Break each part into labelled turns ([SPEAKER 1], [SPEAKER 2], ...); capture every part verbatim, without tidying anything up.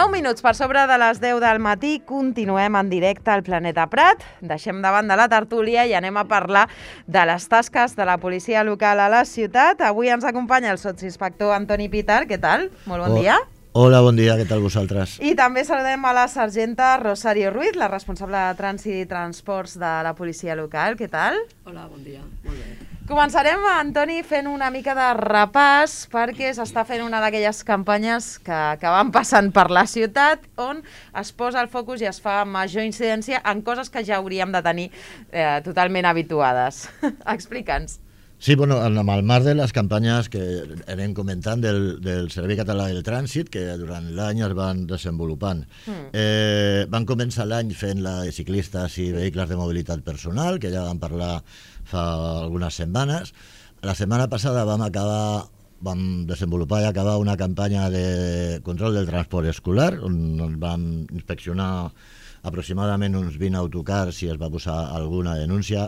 [SPEAKER 1] nou minuts per sobre de les deu del matí, continuem en directe al Planeta Prat. Deixem de banda la tertúlia i anem a parlar de les tasques de la policia local a la ciutat. Avui ens acompanya el sotsinspector Antoni Pitar. Què tal? Molt bon
[SPEAKER 2] oh.
[SPEAKER 1] dia.
[SPEAKER 2] Hola, bon dia, què tal vosaltres?
[SPEAKER 1] I també saludem a la sergenta Rosario Ruiz, la responsable de Trànsit i Transports de la policia local. Què tal?
[SPEAKER 3] Hola, bon dia. Molt bé.
[SPEAKER 1] Començarem, Antoni, fent una mica de repàs perquè s'està fent una d'aquelles campanyes que, que van passant per la ciutat on es posa el focus i es fa major incidència en coses que ja hauríem de tenir eh, totalment habituades. Explica'ns.
[SPEAKER 2] Sí, bueno, amb el marc de les campanyes que anem comentant del, del Servei Català del Trànsit, que durant l'any es van desenvolupant. Mm. Eh, van començar l'any fent la de ciclistes i vehicles de mobilitat personal, que ja vam parlar fa algunes setmanes. La setmana passada vam acabar, vam desenvolupar i acabar una campanya de control del transport escolar, on vam inspeccionar aproximadament uns vint autocars i es va posar alguna denúncia,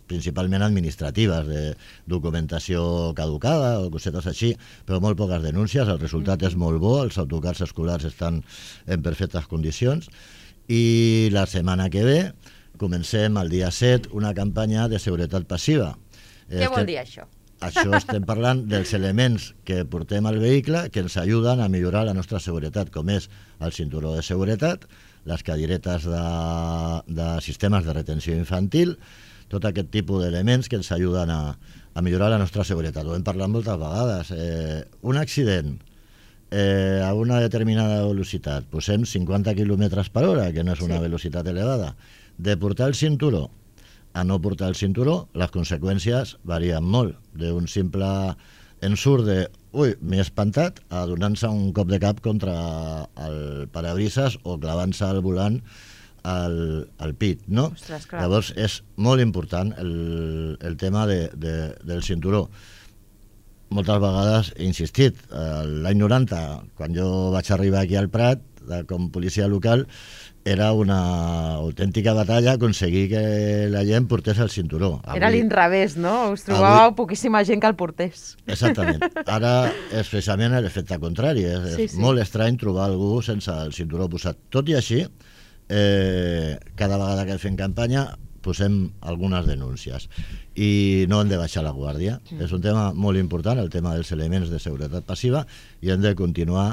[SPEAKER 2] principalment administratives, de documentació caducada o cosetes així, però molt poques denúncies. El resultat és molt bo, els autocars escolars estan en perfectes condicions i la setmana que ve comencem el dia set una campanya de seguretat passiva.
[SPEAKER 1] Què vol dir això?
[SPEAKER 2] Això estem parlant dels elements que portem al vehicle que ens ajuden a millorar la nostra seguretat, com és el cinturó de seguretat, les cadiretes de, de sistemes de retenció infantil, tot aquest tipus d'elements que ens ajuden a, a millorar la nostra seguretat. Ho hem parlat moltes vegades. Eh, un accident eh, a una determinada velocitat, posem cinquanta quilòmetres per hora, que no és una sí. velocitat elevada, de portar el cinturó a no portar el cinturó, les conseqüències varien molt. D'un simple ensurt de ui, m'he espantat, a donar-se un cop de cap contra el parabrises o clavant-se al volant al, al pit, no?
[SPEAKER 1] Ostres, clar.
[SPEAKER 2] Llavors és molt important el, el tema de, de, del cinturó. Moltes vegades he insistit, l'any noranta, quan jo vaig arribar aquí al Prat, com policia local, era una autèntica batalla aconseguir que la gent portés el cinturó.
[SPEAKER 1] Avui, era l'inrevés, no? Us trobàveu avui poquíssima gent que el portés.
[SPEAKER 2] Exactament. Ara és precisament l'efecte contrari. És, sí, és sí. molt estrany trobar algú sense el cinturó posat. Tot i així, eh, cada vegada que fem campanya posem algunes denúncies i no hem de baixar la guàrdia. Mm. És un tema molt important, el tema dels elements de seguretat passiva, i hem de continuar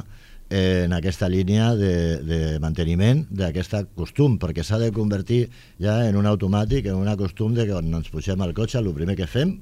[SPEAKER 2] en aquesta línia de, de manteniment d'aquest costum, perquè s'ha de convertir ja en un automàtic, en un costum de que quan ens pugem al cotxe el primer que fem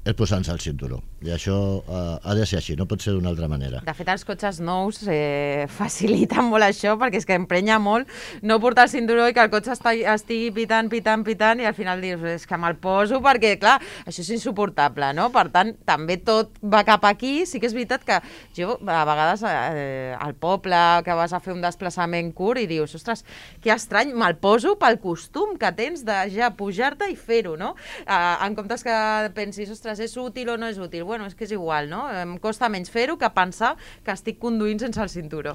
[SPEAKER 2] és posar-nos el cinturó. I això eh, ha de ser així, no pot ser d'una altra manera.
[SPEAKER 1] De fet, els cotxes nous eh, faciliten molt això, perquè és que emprenya molt no portar el cinturó i que el cotxe estigui pitant, pitant, pitant, i al final dius, és que me'l poso, perquè, clar, això és insuportable, no? Per tant, també tot va cap aquí. Sí que és veritat que jo, a vegades, eh, al poble, que vas a fer un desplaçament curt i dius, ostres, que estrany, me'l poso pel costum que tens de ja pujar-te i fer-ho, no? Eh, en comptes que pensis, ostres, és útil o no és útil? Bueno, és que és igual, no? Em costa menys fer-ho que pensar que estic conduint sense el cinturó.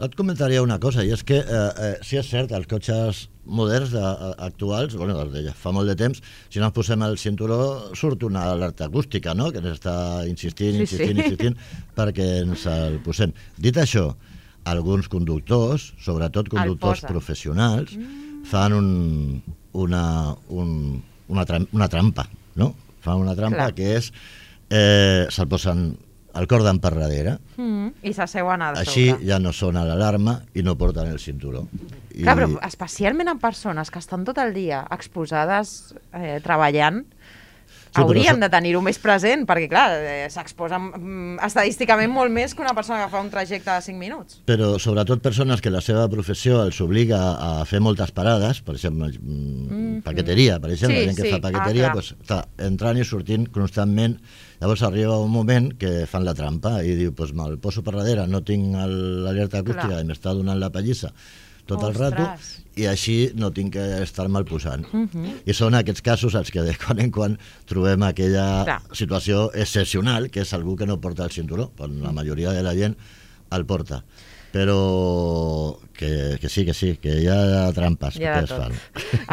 [SPEAKER 2] Et comentaria una cosa, i és que, eh, eh, si és cert, els cotxes moderns de, actuals, bueno, de fa molt de temps, si no ens posem el cinturó surt una alerta acústica, no?, que ens està insistint,
[SPEAKER 1] sí,
[SPEAKER 2] insistint,
[SPEAKER 1] sí.
[SPEAKER 2] insistint, perquè ens el posem. Dit això, alguns conductors, sobretot conductors professionals, mm. fan un, una, un, una, tram, una trampa, no?, fan una trampa Clar. que és eh, se'l posen el cordon per darrere
[SPEAKER 1] mm, i s'asseuen a sobre.
[SPEAKER 2] Així ja no sona l'alarma i no porten el cinturó. I...
[SPEAKER 1] Clar, però especialment en persones que estan tot el dia exposades eh, treballant, sí, hauríem això... de tenir-ho més present, perquè clar, eh, s'exposen mm, estadísticament molt més que una persona que fa un trajecte de cinc minuts.
[SPEAKER 2] Però sobretot persones que la seva professió els obliga a fer moltes parades, per exemple, mm, paqueteria, per exemple, sí, la gent que sí. fa paqueteria, ah, doncs, està entrant i sortint constantment. Llavors arriba un moment que fan la trampa i diu, doncs me'l poso per darrere, no tinc l'alerta acústica i m'està donant la pallissa tot el rato, i així no tinc que estar-me'l posant. Uh -huh. I són aquests casos els que de quan en quan trobem aquella Clar. situació excepcional, que és algú que no porta el cinturó, quan la majoria de la gent el porta. Però que, que sí, que sí, que hi ha trampes
[SPEAKER 1] hi ha
[SPEAKER 2] que es fan.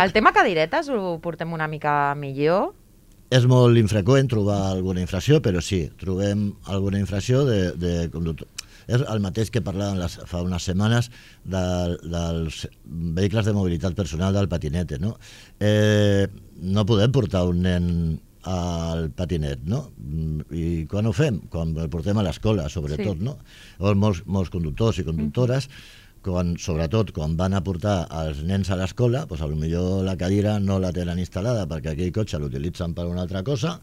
[SPEAKER 1] El tema cadiretes ho portem una mica millor?
[SPEAKER 2] És molt infreqüent trobar alguna infracció, però sí, trobem alguna infracció de, de conductor. És el mateix que parlàvem les, fa unes setmanes de, dels vehicles de mobilitat personal del patinete, no? Eh, no podem portar un nen al patinet, no? I quan ho fem? Quan el portem a l'escola, sobretot, sí. no? O molts, molts conductors i conductores, mm. quan, sobretot quan van a portar els nens a l'escola, doncs potser la cadira no la tenen instal·lada perquè aquell cotxe l'utilitzen per una altra cosa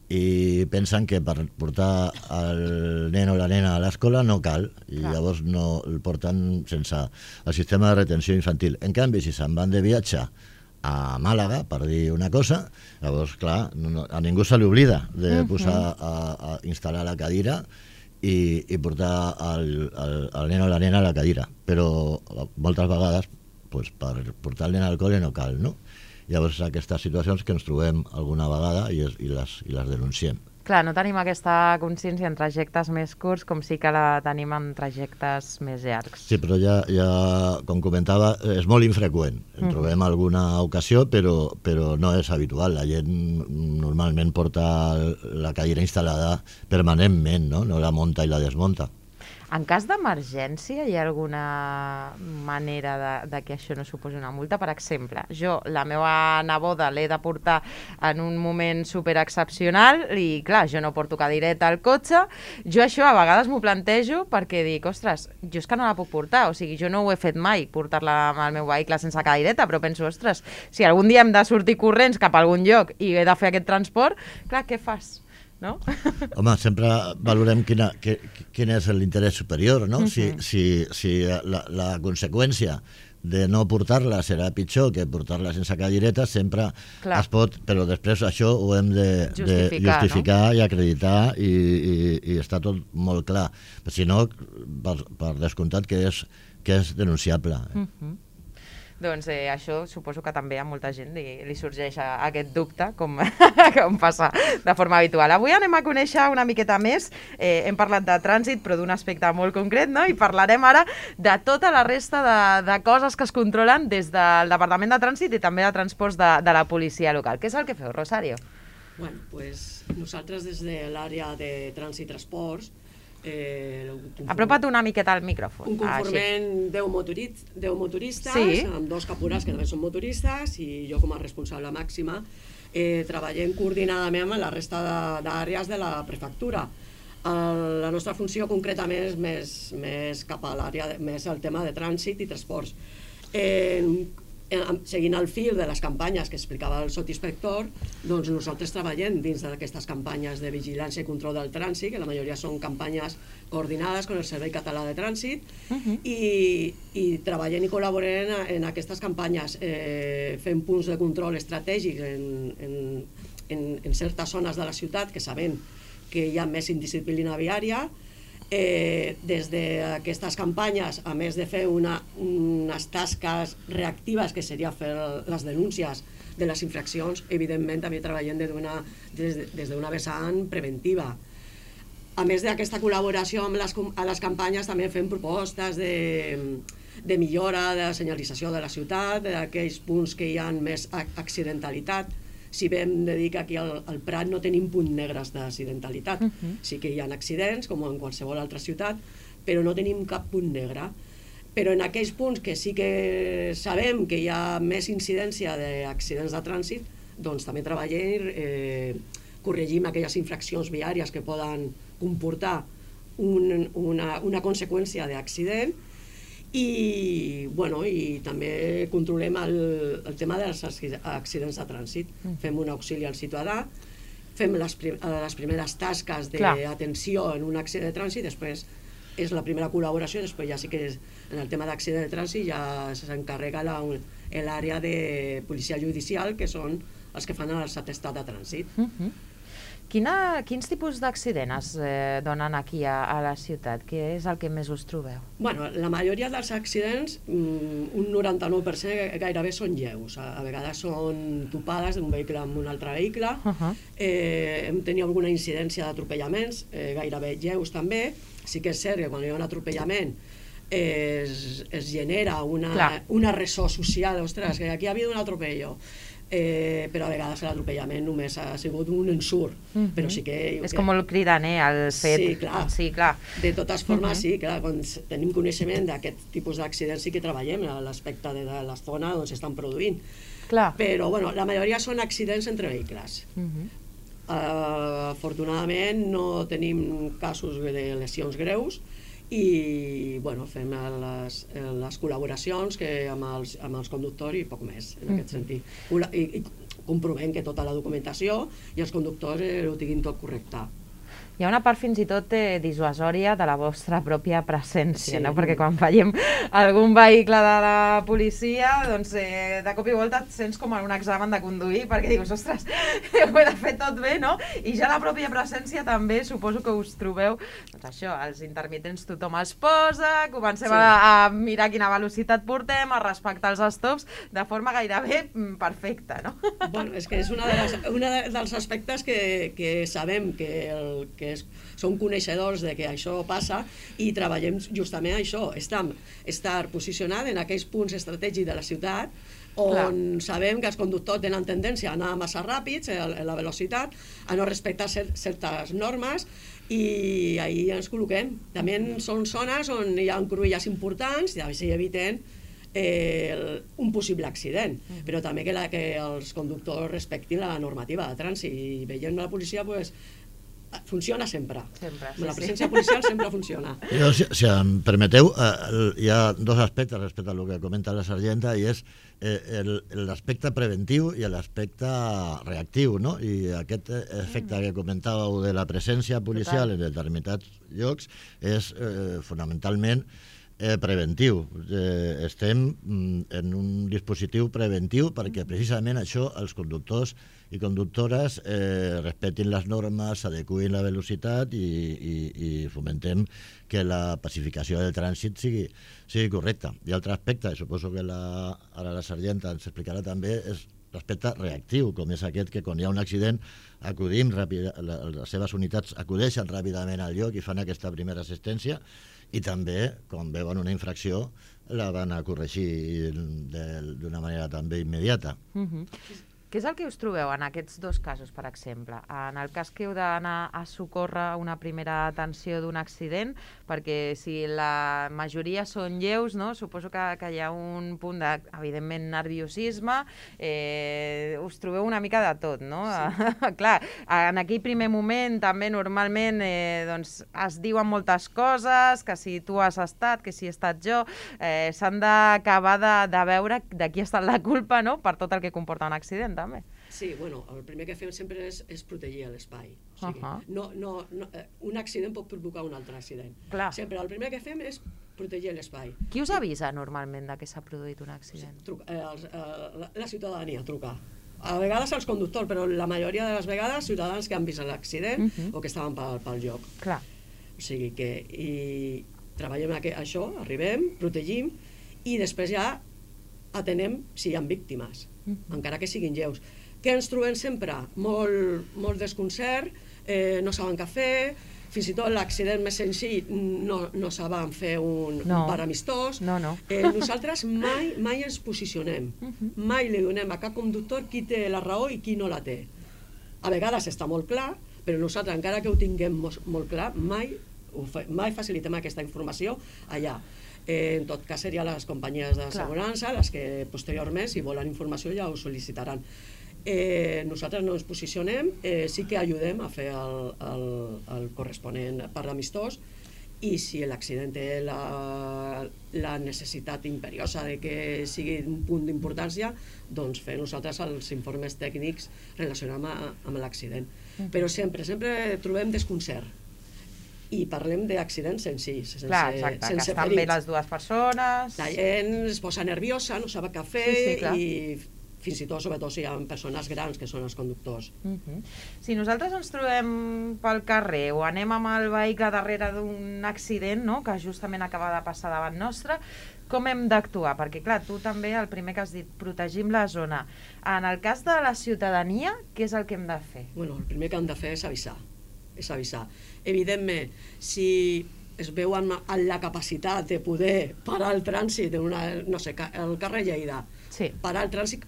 [SPEAKER 2] i pensen que per portar el nen o la nena a l'escola no cal, i clar. Llavors no el porten sense el sistema de retenció infantil. En canvi, si se'n van de viatge a Màlaga, per dir una cosa, llavors, clar, no, a ningú se li oblida de posar a, a instal·lar la cadira i, i portar el, el, el nen o la nena a la cadira. Però moltes vegades, pues, per portar el nen al col·le no cal, no? Llavors, aquestes situacions que ens trobem alguna vegada i, es, i, les, i les denunciem.
[SPEAKER 1] Clar, no tenim aquesta consciència en trajectes més curts com sí que la tenim en trajectes més llargs.
[SPEAKER 2] Sí, però ja, ja com comentava, és molt infreqüent. En trobem mm. alguna ocasió, però, però no és habitual. La gent normalment porta la cadira instal·lada permanentment, no? No la munta i la desmunta.
[SPEAKER 1] En cas d'emergència, hi ha alguna manera de, de que això no suposi una multa? Per exemple, jo, la meva neboda l'he de portar en un moment superexcepcional i, clar, jo no porto cadireta al cotxe. Jo això a vegades m'ho plantejo perquè dic, ostres, jo és que no la puc portar. O sigui, jo no ho he fet mai, portar-la al meu vehicle sense cadireta, però penso, ostres, si algun dia hem de sortir corrents cap a algun lloc i he de fer aquest transport, clar, què fas? No?
[SPEAKER 2] Home, sempre valorem quina, que, quin és l'interès superior, no? Uh-huh. Si, si, si la, la conseqüència de no portar-la serà pitjor que portar-la sense cadireta, sempre clar. Es pot, però després això ho hem de justificar, de justificar no? I acreditar i, i, i està tot molt clar. Però si no, per, per descomptat que és, que és denunciable.
[SPEAKER 1] Uh-huh. Doncs eh, això suposo que també a molta gent li, li sorgeix a, a aquest dubte, com, com passa de forma habitual. Avui anem a conèixer una miqueta més, eh, hem parlat de trànsit però d'un aspecte molt concret, no? I parlarem ara de tota la resta de, de coses que es controlen des del Departament de Trànsit i també de transports de, de la policia local. Què és el que feu, Rosario?
[SPEAKER 3] Bueno, pues nosaltres des de l'àrea de trànsit i transports Eh,
[SPEAKER 1] apropa't una miqueta al micròfon.
[SPEAKER 3] Un conforment deu motoristes, sí. Amb dos capurats que també són motoristes i jo com a responsable màxima eh, treballem coordinadament amb la resta d'àrees de, de la prefectura. El, la nostra funció concretament és més, més cap a l'àrea, més el tema de trànsit i transports. Eh, seguint el fil de les campanyes que explicava el sotinspector, doncs nosaltres treballem dins d'aquestes campanyes de vigilància i control del trànsit, que la majoria són campanyes coordinades amb el Servei Català de Trànsit, uh-huh. i, i treballem i col·laborem en, en aquestes campanyes, eh, fent punts de control estratègics en, en, en, en certes zones de la ciutat que sabem que hi ha més indisciplina viària. Eh, des d'aquestes campanyes, a més de fer una, unes tasques reactives que seria fer les denúncies de les infraccions, evidentment també treballem des d'una des d'una vessant preventiva. A més d'aquesta col·laboració amb les, a les campanyes també fem propostes de, de millora de la senyalització de la ciutat, d'aquells punts que hi ha més accidentalitat. Si vam de dir que aquí al, al Prat no tenim punts negres d'accidentalitat. Uh-huh. Sí que hi ha accidents, com en qualsevol altra ciutat, però no tenim cap punt negre. Però en aquells punts que sí que sabem que hi ha més incidència d'accidents de trànsit, doncs també treballem, eh, corregim aquelles infraccions viàries que poden comportar un, una, una conseqüència d'accident. I, bueno, i també controlem el, el tema dels accidents de trànsit. Mm. Fem un auxili al ciutadà, fem les, prim, les primeres tasques d'atenció en un accident de trànsit, després és la primera col·laboració, després ja sí que és, en el tema d'accident de trànsit ja s'encarrega l'àrea de policia judicial, que són els que fan els atestats de trànsit. Mm-hmm.
[SPEAKER 1] Quina, quins tipus d'accidents es eh, donen aquí a, a la ciutat? Què és el que més us trobeu?
[SPEAKER 3] Bueno, la majoria dels accidents, un noranta-nou per cent gairebé són lleus. A, a vegades són topades d'un vehicle amb un altre vehicle. Uh-huh. eh, hem tingut alguna incidència d'atropellaments, eh, gairebé lleus també. Sí que és cert que quan hi ha un atropellament es, es genera una, una ressò social, ostres, que aquí ha habido un atropello. Eh, però a vegades l'atropellament només ha sigut un ensurt, uh -huh. però sí que...
[SPEAKER 1] És que... com molt cridaner el fet.
[SPEAKER 3] Sí, clar.
[SPEAKER 1] Sí, clar.
[SPEAKER 3] De totes formes, uh -huh. sí, clar, quan tenim coneixement d'aquest tipus d'accidents sí que treballem a l'aspecte de la zona on s'estan produint.
[SPEAKER 1] Clar.
[SPEAKER 3] Però, bueno, la majoria són accidents entre vehicles. Uh -huh. uh, afortunadament no tenim casos de lesions greus, i bueno, fem les, les col·laboracions que amb, els, amb els conductors i poc més, en aquest sentit. I, i comprovem que tota la documentació i els conductors eh, ho tinguin tot correcte.
[SPEAKER 1] Hi ha una part fins i tot eh, dissuasòria de la vostra pròpia presència,
[SPEAKER 3] sí.
[SPEAKER 1] no? Perquè quan veiem algun vehicle de la policia, doncs eh, de cop i volta et sents com en un examen de conduir, perquè dius, ostres, ho he de fer tot bé, no? I ja la pròpia presència també, suposo que us trobeu, doncs això, els intermitents tothom es posa, comencem sí. a, a mirar quina velocitat portem, a respectar els stops, de forma gairebé perfecta, no?
[SPEAKER 3] Bueno, és que és una de les, una dels aspectes que, que sabem que, el, que és, som coneixedors de que això passa i treballem justament això, estar, estar posicionat en aquells punts estratègics de la ciutat on Clar. sabem que els conductors tenen tendència a anar massa ràpids en la velocitat, a no respectar certes normes, i ahir ens col·loquem. També són zones on hi ha cruïlles importants i així eviten Eh, un possible accident, mm. però també que, la, que els conductors respectin la normativa de trànsit, i veient la policia pues, funciona sempre.
[SPEAKER 1] sempre sí,
[SPEAKER 3] la presència sí. policial sempre funciona.
[SPEAKER 2] Jo, si, si em permeteu, eh, hi ha dos aspectes respecte a lo que comenta la sergenta, i és eh, l'aspecte preventiu i l'aspecte reactiu, no? I aquest efecte mm. que comentàveu de la presència policial Total. en determinats llocs és eh, fonamentalment Eh, preventiu. Eh, estem mm, en un dispositiu preventiu perquè precisament això els conductors i conductores eh, respectin les normes, s'adecuïn la velocitat i, i, i fomentem que la pacificació del trànsit sigui, sigui correcta. I altre aspecte, suposo que la, ara la sergenta ens explicarà també, és l'aspecte reactiu, com és aquest que quan hi ha un accident acudim ràpid, les seves unitats acudeixen ràpidament al lloc i fan aquesta primera assistència, i també, quan veuen una infracció, la van a corregir d'una manera també immediata.
[SPEAKER 1] Uh-huh. Què és el que us trobeu en aquests dos casos, per exemple? En el cas que heu d'anar a socórrer una primera atenció d'un accident, perquè si la majoria són lleus, no? Suposo que, que hi ha un punt de, evidentment, nerviosisme, eh, us trobeu una mica de tot, no? Sí. Clar, en aquell primer moment també normalment eh, doncs, es diuen moltes coses, que si tu has estat, que si he estat jo, eh, s'han d'acabar de, de veure de qui ha estat la culpa, no? Per tot el que comporta un accident, també.
[SPEAKER 3] Sí, bueno, el primer que fem sempre és, és protegir l'espai. O sigui,
[SPEAKER 1] uh-huh.
[SPEAKER 3] no, no, no, un accident pot provocar un altre accident.
[SPEAKER 1] Clar.
[SPEAKER 3] Sempre el primer que fem és protegir l'espai.
[SPEAKER 1] Qui us avisa normalment de que s'ha produït un accident?
[SPEAKER 3] Truca, eh, els, eh, la, la ciutadania truca. A vegades els conductors, però la majoria de les vegades ciutadans que han vist l'accident uh-huh. o que estaven pel, pel lloc.
[SPEAKER 1] Clar.
[SPEAKER 3] O sigui que i treballem aqu això, arribem, protegim i després ja atenem si hi ha víctimes, uh-huh. encara que siguin lleus. Què ens trobem sempre? Molt, molt desconcert, eh, no saben què fer, fins i tot l'accident més senzill no, no saben fer un, no. un bar amistós.
[SPEAKER 1] No, no.
[SPEAKER 3] Eh, nosaltres mai, mai ens posicionem, uh-huh. mai li donem a cap conductor qui té la raó i qui no la té. A vegades està molt clar, però nosaltres, encara que ho tinguem molt, molt clar, mai, ho fa, mai facilitem aquesta informació allà. Eh, en tot cas, serien les companyies d'assegurança les que posteriorment, si volen informació, ja ho sol·licitaran. Eh, nosaltres no ens posicionem, eh, sí que ajudem a fer el, el, el corresponent per l'amistós, i si l'accident té la, la necessitat imperiosa de que sigui un punt d'importància, doncs fer nosaltres els informes tècnics relacionats amb, amb l'accident. Mm. Però sempre, sempre trobem desconcert. I parlem d'accidents senzills, sense,
[SPEAKER 1] clar, exacte,
[SPEAKER 3] sense
[SPEAKER 1] que estan
[SPEAKER 3] ferits.
[SPEAKER 1] bé les dues persones.
[SPEAKER 3] La gent es posa nerviosa, no sap què fer,
[SPEAKER 1] sí, sí,
[SPEAKER 3] i fins i tot, sobretot, si hi ha persones grans que són els conductors.
[SPEAKER 1] Uh-huh. Si nosaltres ens trobem pel carrer o anem amb el vehicle darrere d'un accident, no?, que justament acaba de passar davant nostre, com hem d'actuar? Perquè, clar, tu també, el primer que has dit, protegim la zona. En el cas de la ciutadania, què és el que hem de fer?
[SPEAKER 3] Bueno, el primer que hem de fer és avisar. És avisar. Evidentment, si es veuen en la capacitat de poder parar el trànsit, una, no sé, el carrer Lleida,
[SPEAKER 1] sí.
[SPEAKER 3] parar el trànsit,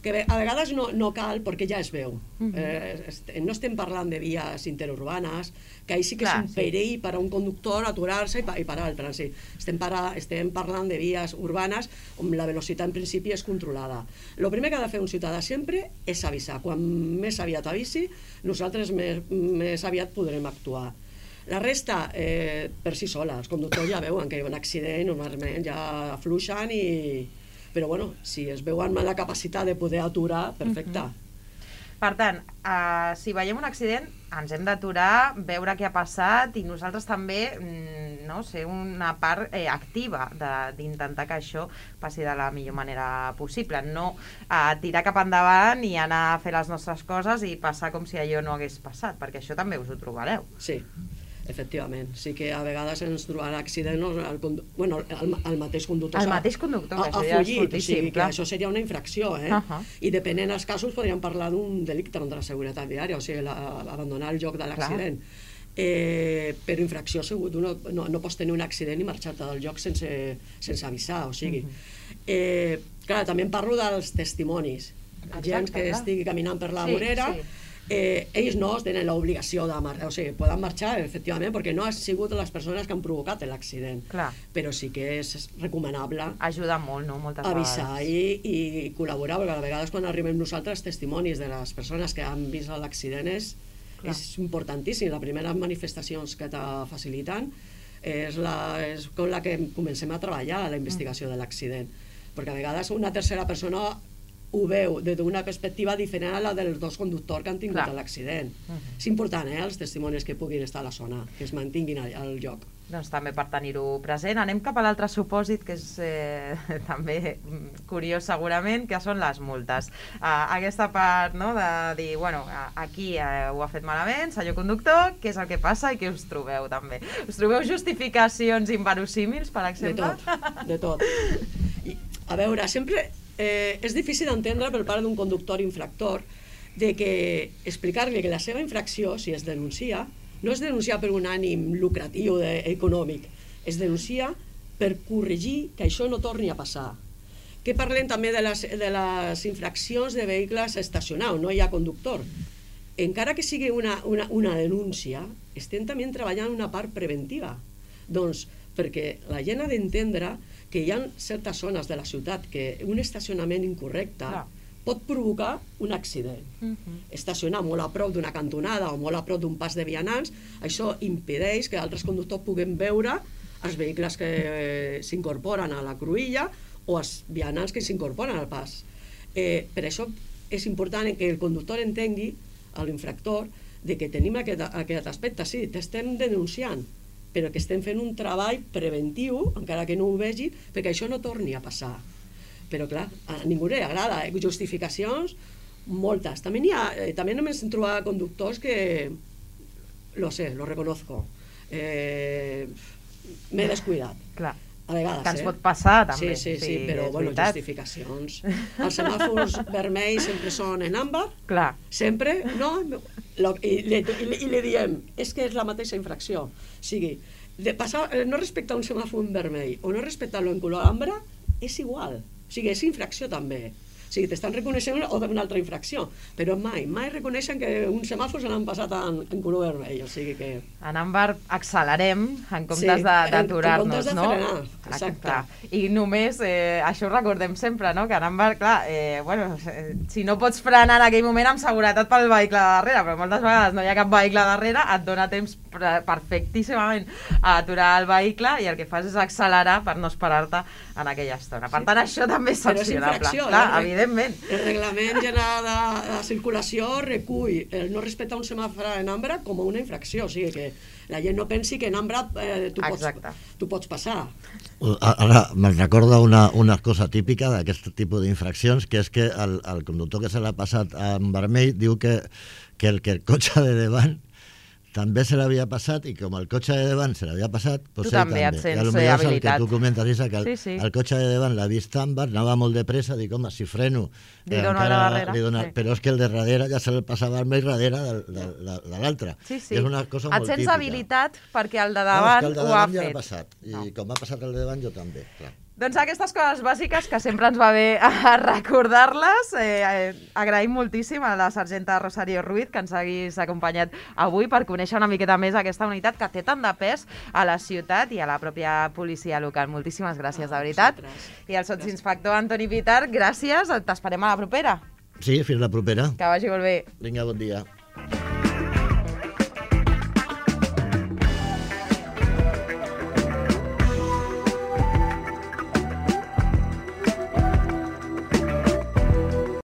[SPEAKER 3] que a vegades no, no cal perquè ja es veu. Uh -huh. eh, no estem parlant de vies interurbanes, que ahí sí que Clar, és un perill sí. per a un conductor aturar-se i, pa, i parar el trànsit. Estem, para, estem parlant de vies urbanes on la velocitat en principi és controlada. El primer que ha de fer un ciutadà sempre és avisar. Quan més aviat avisi, nosaltres més, més aviat podrem actuar. La resta, eh, per si sola, els conductors ja veuen que hi ha un accident, normalment ja afluixen i... Però bueno, si es veuen la capacitat de poder aturar, perfecte. Uh -huh.
[SPEAKER 1] Per tant, uh, si veiem un accident, ens hem d'aturar, veure què ha passat i nosaltres també mm, no, ser una part eh, activa d'intentar que això passi de la millor manera possible. No uh, tirar cap endavant i anar a fer les nostres coses i passar com si allò no hagués passat, perquè això també us ho trobareu.
[SPEAKER 3] Sí. Efectivament, sí que a vegades ens trobarà accidents el, bueno, el, el mateix conductor
[SPEAKER 1] el mateix conductor,
[SPEAKER 3] a, a fugit, o sigui que això seria una infracció, eh? Uh -huh. I depenent dels casos podríem parlar d'un delicte contra la seguretat viària, o sigui, la, abandonar el lloc de l'accident. Eh, però infracció segur, tu no, no, no pots tenir un accident i marxar-te del lloc sense, sense avisar, o sigui. Uh -huh. eh, clar, també em parlo dels testimonis, Exacte, gent que clar. estigui caminant per la sí, vorera, sí. Eh, ells no tenen l'obligació de marxar, o sigui, poden marxar efectivament perquè no han sigut les persones que han provocat l'accident, però sí que és recomanable
[SPEAKER 1] ajuda molt, no? Moltes
[SPEAKER 3] avisar i, i col·laborar, perquè a vegades quan arribem nosaltres testimonis de les persones que han vist l'accident és, és importantíssim. Les primeres manifestacions que te faciliten és, la, és com la que comencem a treballar a la investigació mm. de l'accident, perquè a vegades una tercera persona ho veu des d'una perspectiva diferent a la dels dos conductors que han tingut l'accident. Uh -huh. És important, eh, els testimonis que puguin estar a la zona, que es mantinguin al, al lloc.
[SPEAKER 1] Doncs també per tenir-ho present. Anem cap a l'altre supòsit, que és eh, també curiós segurament, que són les multes. Uh, aquesta part, no?, de dir, bueno, aquí eh, ho ha fet malament, senyor conductor, què és el que passa i què us trobeu també? Us trobeu justificacions inverosímils, per exemple?
[SPEAKER 3] De tot, de tot. I, a veure, sempre... Eh, és difícil d'entendre per part d'un conductor infractor de que explicar-li que la seva infracció, si es denuncia, no es denuncia per un ànim lucratiu de, econòmic, es denuncia per corregir que això no torni a passar. Que parlem també de les, de les infraccions de vehicles estacionats, no hi ha conductor. Encara que sigui una, una, una denúncia, estem també treballant una part preventiva. Doncs perquè la gent ha d'entendre que hi ha certes zones de la ciutat que un estacionament incorrecte Clar. pot provocar un accident. Uh -huh. Estacionar molt a prop d'una cantonada o molt a prop d'un pas de vianants, això impedeix que altres conductors puguin veure els vehicles que s'incorporen a la cruïlla o els vianants que s'incorporen al pas. Eh, per això és important que el conductor entengui, a l'infractor, de que tenim aquest, aquest aspecte. Sí, t'estem denunciant, però que estem fent un treball preventiu, encara que no ho vegi, perquè això no torni a passar. Però clar, a ningú li agrada, eh? Justificacions, moltes. També n'hi ha, eh, també només hem trobat conductors que, lo sé, lo reconozco, eh, m'he descuidat.
[SPEAKER 1] Clar.
[SPEAKER 3] A vegades,
[SPEAKER 1] que ens
[SPEAKER 3] eh?
[SPEAKER 1] pot passar, també.
[SPEAKER 3] Sí, sí, sí, sí però, bueno, veritat. Justificacions. Els semàfors vermells sempre són en àmbar,
[SPEAKER 1] Clar.
[SPEAKER 3] sempre, no? Lo, i, li, i, i li diem, és que és la mateixa infracció. O sigui, de passar, no respectar un semàfor vermell o no respectar-lo en color ambre és igual. O sigui, és infracció també. O sigui, t'estan reconeixent una altra infracció, però mai, mai reconeixen que un semàfor se l'han passat en, en color vermell, o sigui que...
[SPEAKER 1] En àmbar accelerem en comptes sí, d'aturar-nos, no?
[SPEAKER 3] Frenar, exacte.
[SPEAKER 1] Clar. I només, eh, això ho recordem sempre, no?, que en àmbar, clar, eh, bueno, si no pots frenar en aquell moment amb seguretat pel vehicle de darrere, però moltes vegades no hi ha cap vehicle darrere, et dona temps perfectíssimament a aturar el vehicle i el que fas és accelerar per no esperar-te en aquella estona. Per tant, això també és sancionable. Clar, evidentment.
[SPEAKER 3] El reglament general de, de circulació recull el no respectar un semàfor en ambre com una infracció, o sigui que la gent no pensi que en ambre eh, tu, pots, tu pots passar.
[SPEAKER 2] Ara me'n recorda una, una cosa típica d'aquest tipus d'infraccions, que és que el, el conductor que se l'ha passat en vermell diu que, que, el, que el cotxe de davant també se l'havia passat, i com el cotxe de davant se l'havia passat, doncs
[SPEAKER 1] tu també et sents habilitat. I potser el
[SPEAKER 2] que tu comentes, Isa, que el,
[SPEAKER 1] sí, sí.
[SPEAKER 2] el cotxe de davant l'ha vist àmbar, anava molt de pressa, dic, home, si freno...
[SPEAKER 1] Li dono a la darrere.
[SPEAKER 2] Li dona, sí. Però és que el de darrere ja se l'ha passava al més darrere de, de, de, de l'altre.
[SPEAKER 1] Sí, sí.
[SPEAKER 2] És una cosa
[SPEAKER 1] et
[SPEAKER 2] molt
[SPEAKER 1] sents
[SPEAKER 2] típica.
[SPEAKER 1] habilitat perquè el de davant,
[SPEAKER 2] no, el de
[SPEAKER 1] ho ha
[SPEAKER 2] ja
[SPEAKER 1] fet.
[SPEAKER 2] Passat. I no. Com ha passat el de davant, jo també, clar.
[SPEAKER 1] Doncs aquestes coses bàsiques que sempre ens va bé a recordar-les. Eh, eh, agraïm moltíssim a la sergenta Rosario Ruiz que ens hagués acompanyat avui per conèixer una miqueta més aquesta unitat que té tant de pes a la ciutat i a la pròpia policia local. Moltíssimes gràcies, de veritat. I al sotsinspector Antoni Pitar, gràcies. T'esperem a la propera.
[SPEAKER 2] Sí, fins la propera.
[SPEAKER 1] Que vagi molt bé.
[SPEAKER 2] Vinga, bon dia.